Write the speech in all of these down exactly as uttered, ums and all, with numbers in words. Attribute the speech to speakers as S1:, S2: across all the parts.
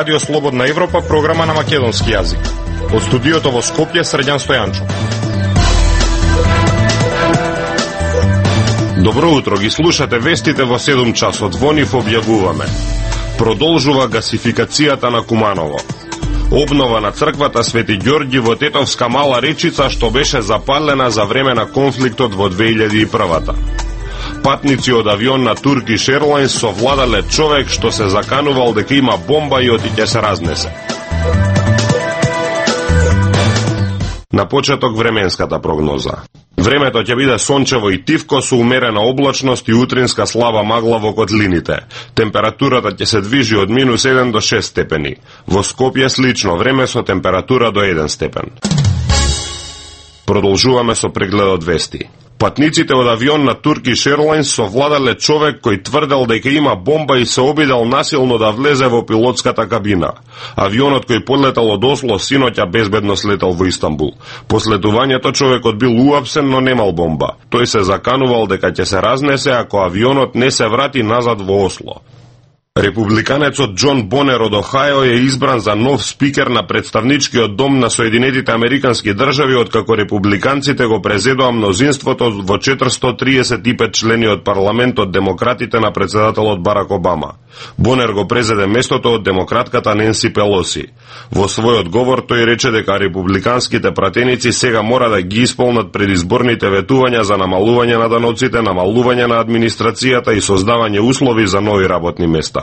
S1: Радио Слободна Европа, програма на македонски јазик. Од студиото во Скопје, Срđan Стојанчов. Добро утро, ги слушате вестите во седум часот. Во нив објавуваме: продолжува гасификацијата на Куманово, обнова на црквата Свети Ѓорѓи во Тетовска Мала Речица, што беше запалена за време на конфликтот во две илјади и прва. Патници од авион на Turkish Airlines совладале човек што се заканувал дека има бомба и оти ќе се разнесе. На почеток временската прогноза. Времето ќе биде сончево и тивко со умерена облачност и утринска слаба магла во котлините. Температурата ќе се движи од минус еден до шест степени. Во Скопје слично време со температура до еден степен. Продолжуваме со прегледот вести. Патниците од авион на Turkish Airlines совладале човек кој тврдел дека има бомба и се обидел насилно да влезе во пилотската кабина. Авионот кој подлетал од Осло синоќа безбедно слетел во Истанбул. По следувањето човекот бил уапсен, но немал бомба. Тој се заканувал дека ќе се разнесе ако авионот не се врати назад во Осло. Републиканецот Џон Бонер од Охајо е избран за нов спикер на представничкиот дом на Соединетите Американски држави, откако републиканците го презедоа мнозинството во четиристотини триесет и пет члени од парламентот демократите на председателот Барак Обама. Бонер го презеде местото од демократката Ненси Пелоси. Во својот говор тој рече дека републиканските пратеници сега мора да ги исполнат предизборните ветувања за намалување на даноците, намалување на администрацијата и создавање услови за нови работни места.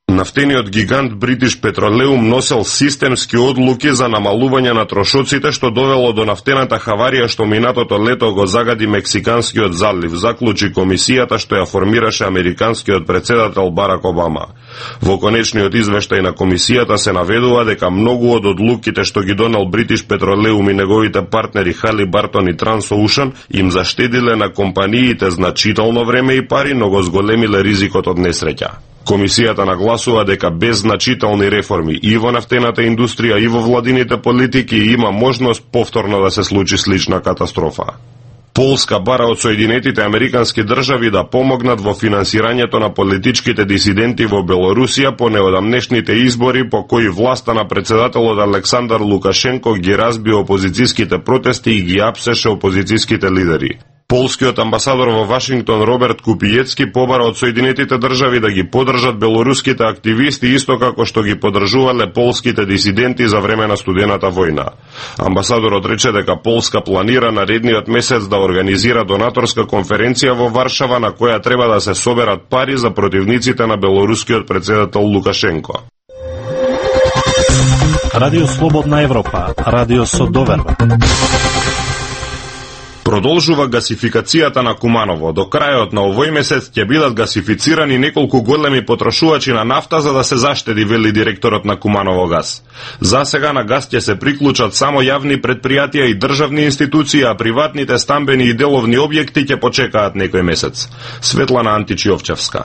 S1: Нафтениот гигант British Petroleum носел системски одлуки за намалување на трошоците, што довело до нафтената хаварија што минатото лето го загади Мексиканскиот залив, заклучи комисијата што ја формираше американскиот председател Барак Обама. Во конечниот извештај на комисијата се наведува дека многу од одлуките што ги донел British Petroleum и неговите партнери Halliburton и Transocean им заштедиле на компаниите значително време и пари, но го зголемиле ризикот од несреќа. Комисијата нагласува дека без значителни реформи и во нафтената индустрија и во владините политики има можност повторно да се случи слична катастрофа. Полска бара од Соединетите Американски држави да помогнат во финансирањето на политичките дисиденти во Белорусија по неодамнешните избори по кои власта на председателот Александар Лукашенко ги разби опозицијските протести и ги апсеше опозицијските лидери. Полскиот амбасадор во Вашингтон Роберт Купијецки побара од Соединетите држави да ги поддржат белоруските активисти исто како што ги поддржувале полските дисиденти за време на студената војна. Амбасадорот рече дека Полска планира наредниот месец да организира донаторска конференција во Варшава на која треба да се соберат пари за противниците на белорускиот председател Лукашенко.
S2: Радио Слободна Европа, радио со доверба.
S1: Продолжува гасификацијата на Куманово. До крајот на овој месец ќе бидат гасифицирани неколку големи потрошувачи на нафта за да се заштеди, вели директорот на Куманово газ. За сега на газ ќе се приклучат само јавни предпријатија и државни институции, а приватните стамбени и деловни објекти ќе почекаат некој месец. Светлана Античиовчевска.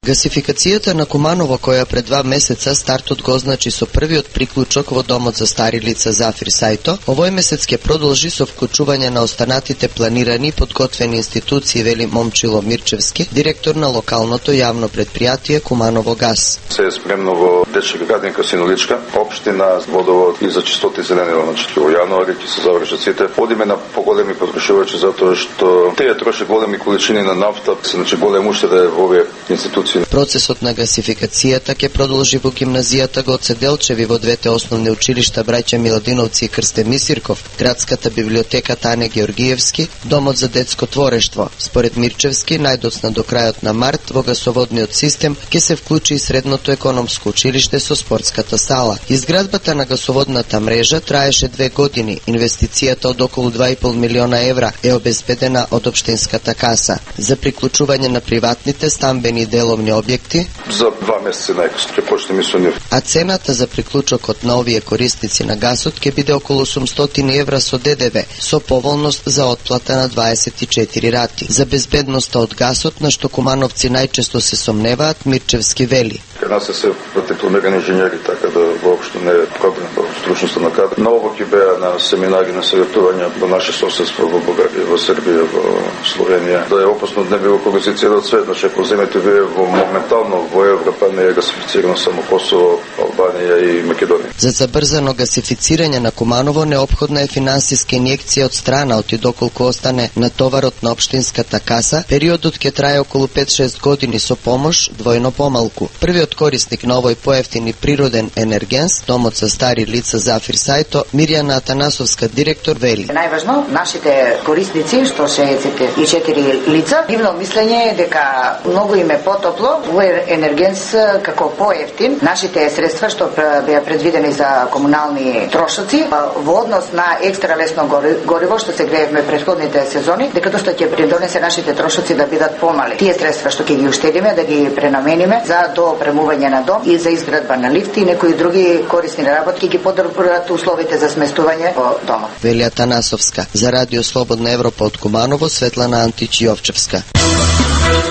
S3: Гасификацијата на Куманово, која пред два месеца стартот го означи со првиот приклучок во домот за стари лица Зафир Сајто, овој месец ќе продолжи со вклучување на останатите планирани и подготвени институции, вели Момчило Мирчевски, директор на локалното јавно предпријатие Куманово газ.
S4: Се е спремно во Дечка Гадинка Синоличка, општина, водовод и за чистота и зеленило, значи во јануари ќе се завршат сите. Одиме на поголеми потрошувачи затоа што тие трошат големи количини на нафта, значи голем уштеда во овие институции.
S3: Процесот на гасификацијата ќе продолжи во гимназијата Гоце Делчеви, во двете основни училишта Браќа Миладиновци и Крстен Мисирков, градската библиотека Тане Георгиевски, домот за детско творештво. Според Мирчевски, најдоцна до крајот на март во гасоводниот систем ќе се вклучи и средното економско училиште со спортската сала. Изградбата на гасоводната мрежа траеше две години. Инвестицијата од околу два и пол милиона евра е обезбедена од општинската каса. За приклучување на приватните стамбени деловни објекти
S4: за два месеца најкасно ќе почнеме со нив.
S3: А цената за приклучокот на овие корисници на гасот ќе биде околу осумстотини евра со ДДВ, со поволност за отплата на дваесет и четири рати. За безбедноста од гасот, на што кумановци најчесто се сомневаат, Мирчевски вели:
S4: Кај нас се дипломирани инженери, така да воопшто не е проблем. стручноста на кадри. Многу ќе беа на семинари на саветување во наше соседство во Бугарија, во Србија, во Словенија. Да е опасно да не било кога се целиот свет, значи ако земете вие во моментално во Европа не е гасифицирано само Косово, Албанија и Македонија.
S3: За забрзано гасифицирање на Куманово неопходна е финансиска инјекција од страна, и доколку остане натоварот на општинската каса, периодот ќе трае околу пет-шест години со помош двојно помалку. Првиот корисник на овој поевтин и природен енергенс, домот за стари лица Зафир Сајто, Мирјана Атанасовска, директор, вели:
S5: Најважно, нашите корисници, што шеесет и четири лица, нивно мислење е дека многу им е потопло, овој енергенс како поевтин, нашите средства што беа предвидени за комунални трошоци, во однос на екстра лесно гориво што се греевме претходните сезони, дека доста ќе придонесе нашите трошоци да бидат помали. Тие средства што ќе ги уштедиме да ги пренамениме за доопремување на дом и за изградба на лифти и некои други корисни работи ги подобруваат условите за сместување во домот.
S3: Вели Атанасовска. За Радио Слободна Европа од Куманово, Светлана Антич Јовчевска.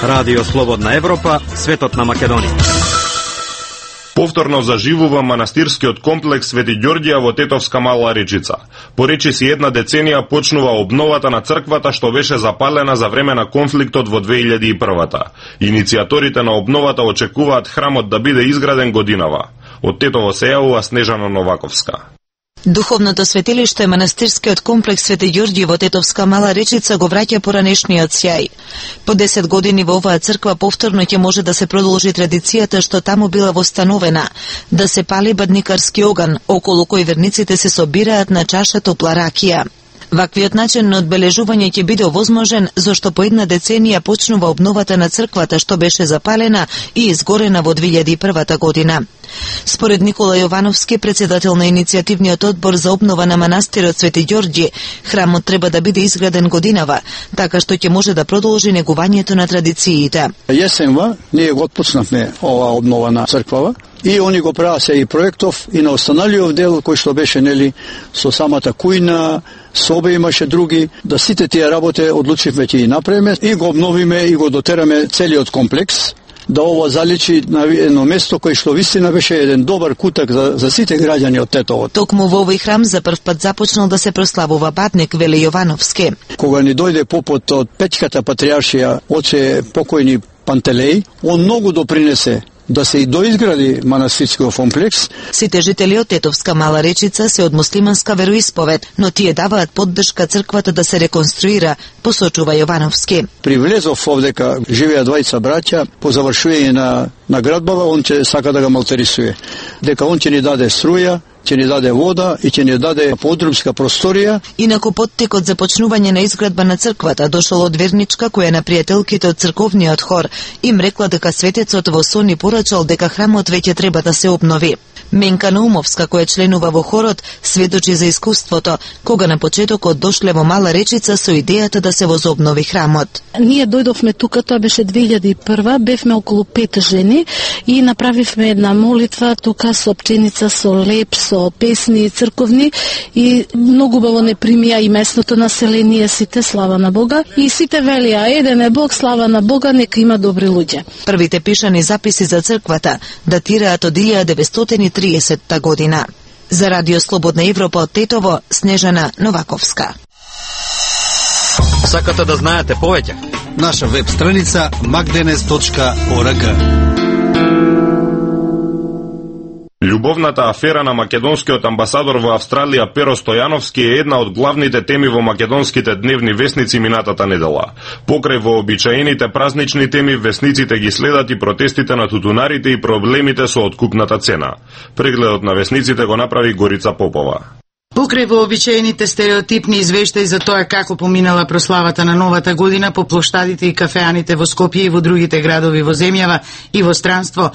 S2: Радио Слободна Европа, светот на Македонија.
S1: Повторно заживува манастирскиот комплекс Свети Ѓорѓија во Тетовска Мала Речица. По речиси една деценија почнува обновата на црквата што беше запалена за време на конфликтот во две илјади и прва. Иницијаторите на обновата очекуваат храмот да биде изграден годинава. Од Тетово се јавува Снежана Новаковска.
S6: Духовното светилиште манастирскиот комплекс Свети Ѓорѓи во Тетовска Мала Речица го враќа поранешниот сјај. По десет години во оваа црква повторно ќе може да се продолжи традицијата што таму била востанувена, да се пали бадникарски оган, околу кој верниците се собираат на чаша топла ракија. Ваквиот начин на одбележување ќе биде овозможен зашто по една деценија почнува обновата на црквата што беше запалена и изгорена во две илјади и прва година. Според Никола Јовановски, председател на иницијативниот одбор за обнова на манастирот Свети Ѓорѓи, храмот треба да биде изграден годинава, така што ќе може да продолжи негувањето на традициите.
S7: Јесенва ние го отпуснавме ова обнова на црквава и они го праваа се и проектов и на останалиот дел кој што беше нели со самата кујна, собе имаше други, да сите тие работи одлучивме ќе и направиме и го обновиме и го дотераме целиот комплекс, да ова заличи на едно место кој што вистина беше еден добар кутак за, за сите граѓани од Тетово.
S6: Токму во овој храм за прв пат започнал да се прославува Бадник, вели Јовановски.
S7: Кога ни дојде попот од Печката патријаршија, оче покојни Пантелеј, он многу допринесе да се и доизгради манастирскиот комплекс.
S6: Сите жители од Тетовска Мала Речица се од муслиманска вероисповед, но тие даваат поддршка црквата да се реконструира, посочува Јовановски.
S7: Привлезов овдека, живеа двајца браќа, по завршување на, на градбава, он ќе сака да ga малтерисуе. Дека он ќе ни даде струја, ќе ни даде вода и ќе ни даде подрумска просторија.
S6: Инаку поттекот за почнување на изградба на црквата дошол од верничка која на пријателките од црковниот хор им рекла дека светецот во сон ни порачал дека храмот веќе треба да се обнови. Менка Наумовска, која членува во хорот, сведочи за искуството, кога на почетокот дошле во Мала Речица со идејата да се возобнови храмот.
S8: Ние дојдовме тука, тоа беше две илјади и прва, бевме околу пет жени и направивме една молитва тука со пченица, со леп, со песни црковни и многу убаво не примија и местното население, сите слава на Бога и сите велија еден е Бог, слава на Бога, нека има добри луѓе.
S6: Првите пишани записи за црквата датираат од илјада деветстотини и тридесетта година. За Радио Слободна Европа од Тетово, Снежана Новаковска.
S2: Сакате да знаете повеќе? Наша веб страница magdenes точка org.
S1: Љубовната афера на македонскиот амбасадор во Австралија Перо Стојановски е една од главните теми во македонските дневни весници минатата недела. Покрај вообичаените празнични теми, весниците ги следат и протестите на тутунарите и проблемите со откупната цена. Прегледот на весниците го направи Горица Попова.
S9: Покрај вообичаените стереотипни извештаи за тоа како поминала прославата на новата година по плоштадите и кафеаните во Скопје и во другите градови во земјава и во странство,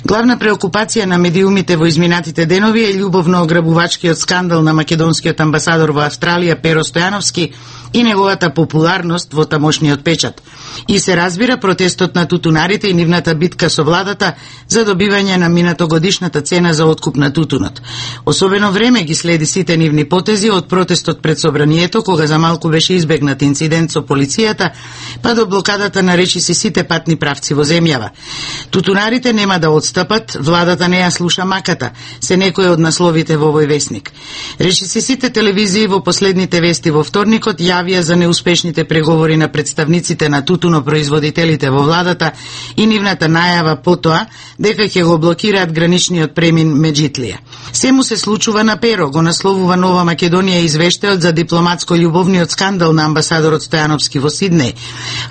S9: главна преокупација на медиумите во изминатите денови е љубовно ограбувачкиот скандал на македонскиот амбасадор во Австралија Перо Стојановски и неговата популарност во тамошниот печат. И се разбира протестот на тутунарите и нивната битка со владата за добивање на минатогодишната цена за откуп на тутунот. Особено време ги следи сите нивни нивни потези од протестот пред собранието, кога за малку беше избегнат инцидент со полицијата, па до блокадата на речиси сите патни правци во земјава. Тутунарите нема да отстапат, владата не ја слуша маката, се некои од насловите во овој весник. Речиси сите телевизии во последните вести во вторникот јавија за неуспешните преговори на представниците на тутунопроизводителите во владата и нивната најава потоа дека ќе го блокираат граничниот премин Меджитлија. Сему се случува на перо, го насловува Нова Македонија извештајот за дипломатско-љубовниот скандал на амбасадорот Стојановски во Сиднеј,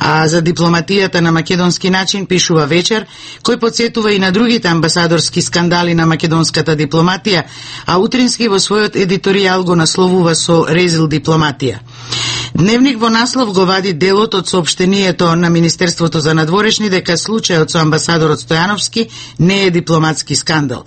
S9: а за дипломатијата на македонски начин пишува Вечер, кој потсетува и на другите амбасадорски скандали на македонската дипломатија, а утрински во својот едиторијал го насловува со резил дипломатија. Дневник во наслов го вади делот од соопштението на Министерството за надворешни дека случајот со амбасадорот Стојановски не е дипломатски скандал.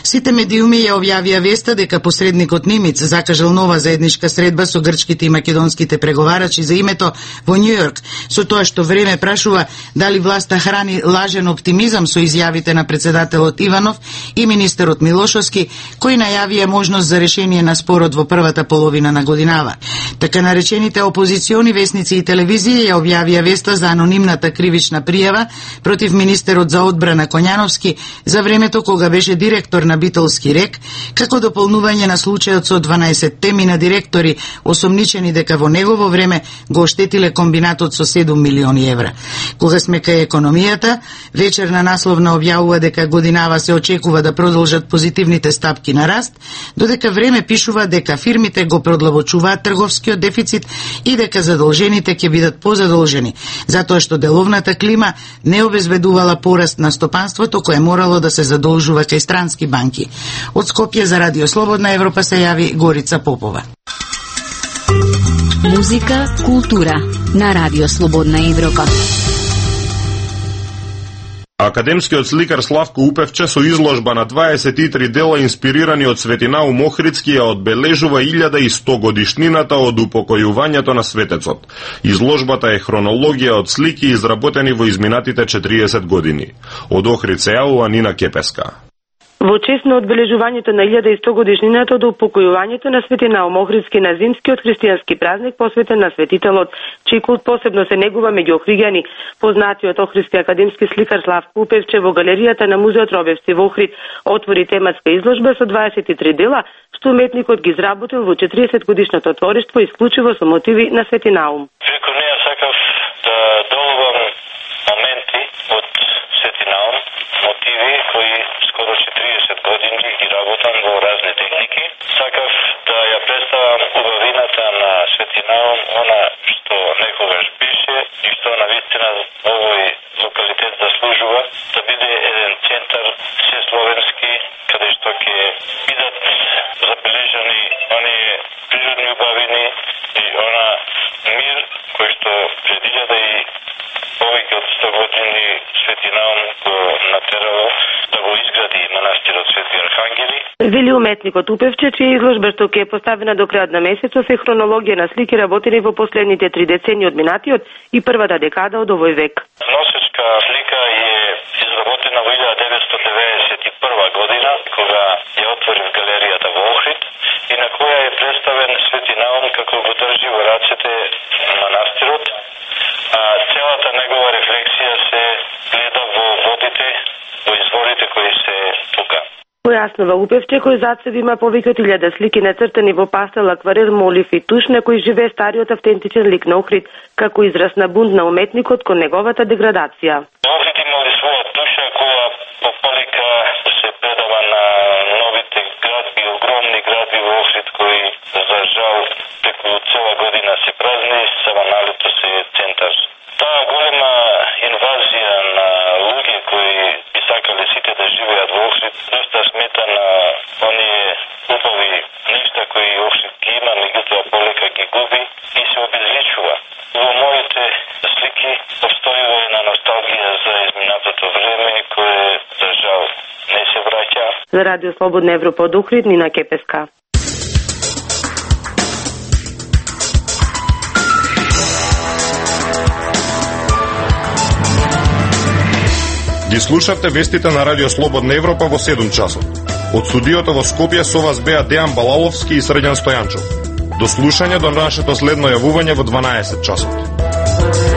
S9: Сите медиуми ја објавија веста дека посредникот Нимиц закажал нова заедничка средба со грчките и македонските преговарачи за името во Њујорк, со тоа што Време прашува дали власта храни лажен оптимизам со изјавите на председателот Иванов и министерот Милошовски, кои најавија можност за решение на спорот во првата половина на годинава. Така наречените опозициони весници и телевизија ја објавија веста за анонимната кривична пријава против министерот за одбрана Коњановски за времето кога беше директор на Битолски рек, како дополнување на случајот со дванаесет теми на директори осомничени дека во негово време го оштетиле комбинатот со седум милиони евра. Кога сме кај економијата, Вечер на насловна објавува дека годинава се очекува да продолжат позитивните стапки на раст, додека Време пишува дека фирмите го продлабочуваат трговскиот дефицит и дека задолжените ќе бидат позадолжени, затоа што деловната клима не обезбедувала пораст на стопанството кое морало да се задолжува кај странски банки. Од Скопје за Радио Слободна Европа се јави Горица Попова.
S10: Музика, култура на Радио Слободна Европа.
S1: Академскиот сликар Славко Упевче со изложба на дваесет и три дела инспирирани од Светинаум Охридски ја одбележува илјада и сто годишнината од упокојувањето на светецот. Изложбата е хронологија од слики изработени во изминатите четириесет години. Од Охрид се јавува Нина Кепеска.
S11: Во чест на одбележувањето на илјада и сто годишнината од упокојувањето на Светинаум Охридски на зимскиот христијански празник посветен на светителот, чиј култ посебно се негува меѓу охриѓани, познатиот охридски академски сликар Славко Упевче во галеријата на музеот Робевци во Охрид отвори тематска изложба со дваесет и три дела, што уметникот ги изработил во четириесет годишното твориштво исклучиво со мотиви на Светинаум.
S12: Преку неа сакав да доловам моменти од Светинаум, мотиви кои скоро четириесет години ги работам во разни техники. Сакав да ја представам убавината на Светинаум, она што некогаш беше и што навистина овој локалитет заслужува да биде еден центар сесловенски, каде што ќе бидат забележани оние природни убавини и она мир кој што пред илјада и повеќе од сто години Светинаум го натерало да го изгради манастирот Свети Архангели.
S11: Вели уметникот Упевче, чија изложба што ќе е поставена до крајот на месецот е хронологија на слики работени во последните три децении од минатиот и првата декада од овој век.
S12: Носечка слика е изработена во илјада деветстотини деветдесет и прва година, кога ја отворив галеријата во Охрид и на која е представен Светинаум како го држи во рацете манастирот, а целата негова рефлексија се гледа во водите, во изворите кои се тука.
S11: Појаснува Упевче, кој зад себе има повеќе од илјада слики нацртани во пастел, акварел, молив и туш, на кој живее стариот автентичен лик на Охрид, како израз на бунт на уметникот кон неговата деградација.
S12: Охрид имали своја душа која пополика се предава на новите градби, огромни градби во Охрид кои за жал преку цела година се празни, само на лето се е центар. Таа голема инвазија на луѓе кои би сакале сите да живеат во Охрид, доста смета на оние убави нешта кои Охрид ги има, меѓутоа полека ги губи и се обезличува. Во моите слики постојува една носталгија за изминатото време кое за жал не се враќа.
S11: За Радио Слободна Европа од Охрид, Нина Кепеска.
S1: Ги слушавте вестите на Радио Слободна Европа во седум часот.
S13: Од студиото во Скопје со вас беа Дејан Балаловски и Срđan Стојанчов. До слушање до нашето следно јавување во дванаесет часот.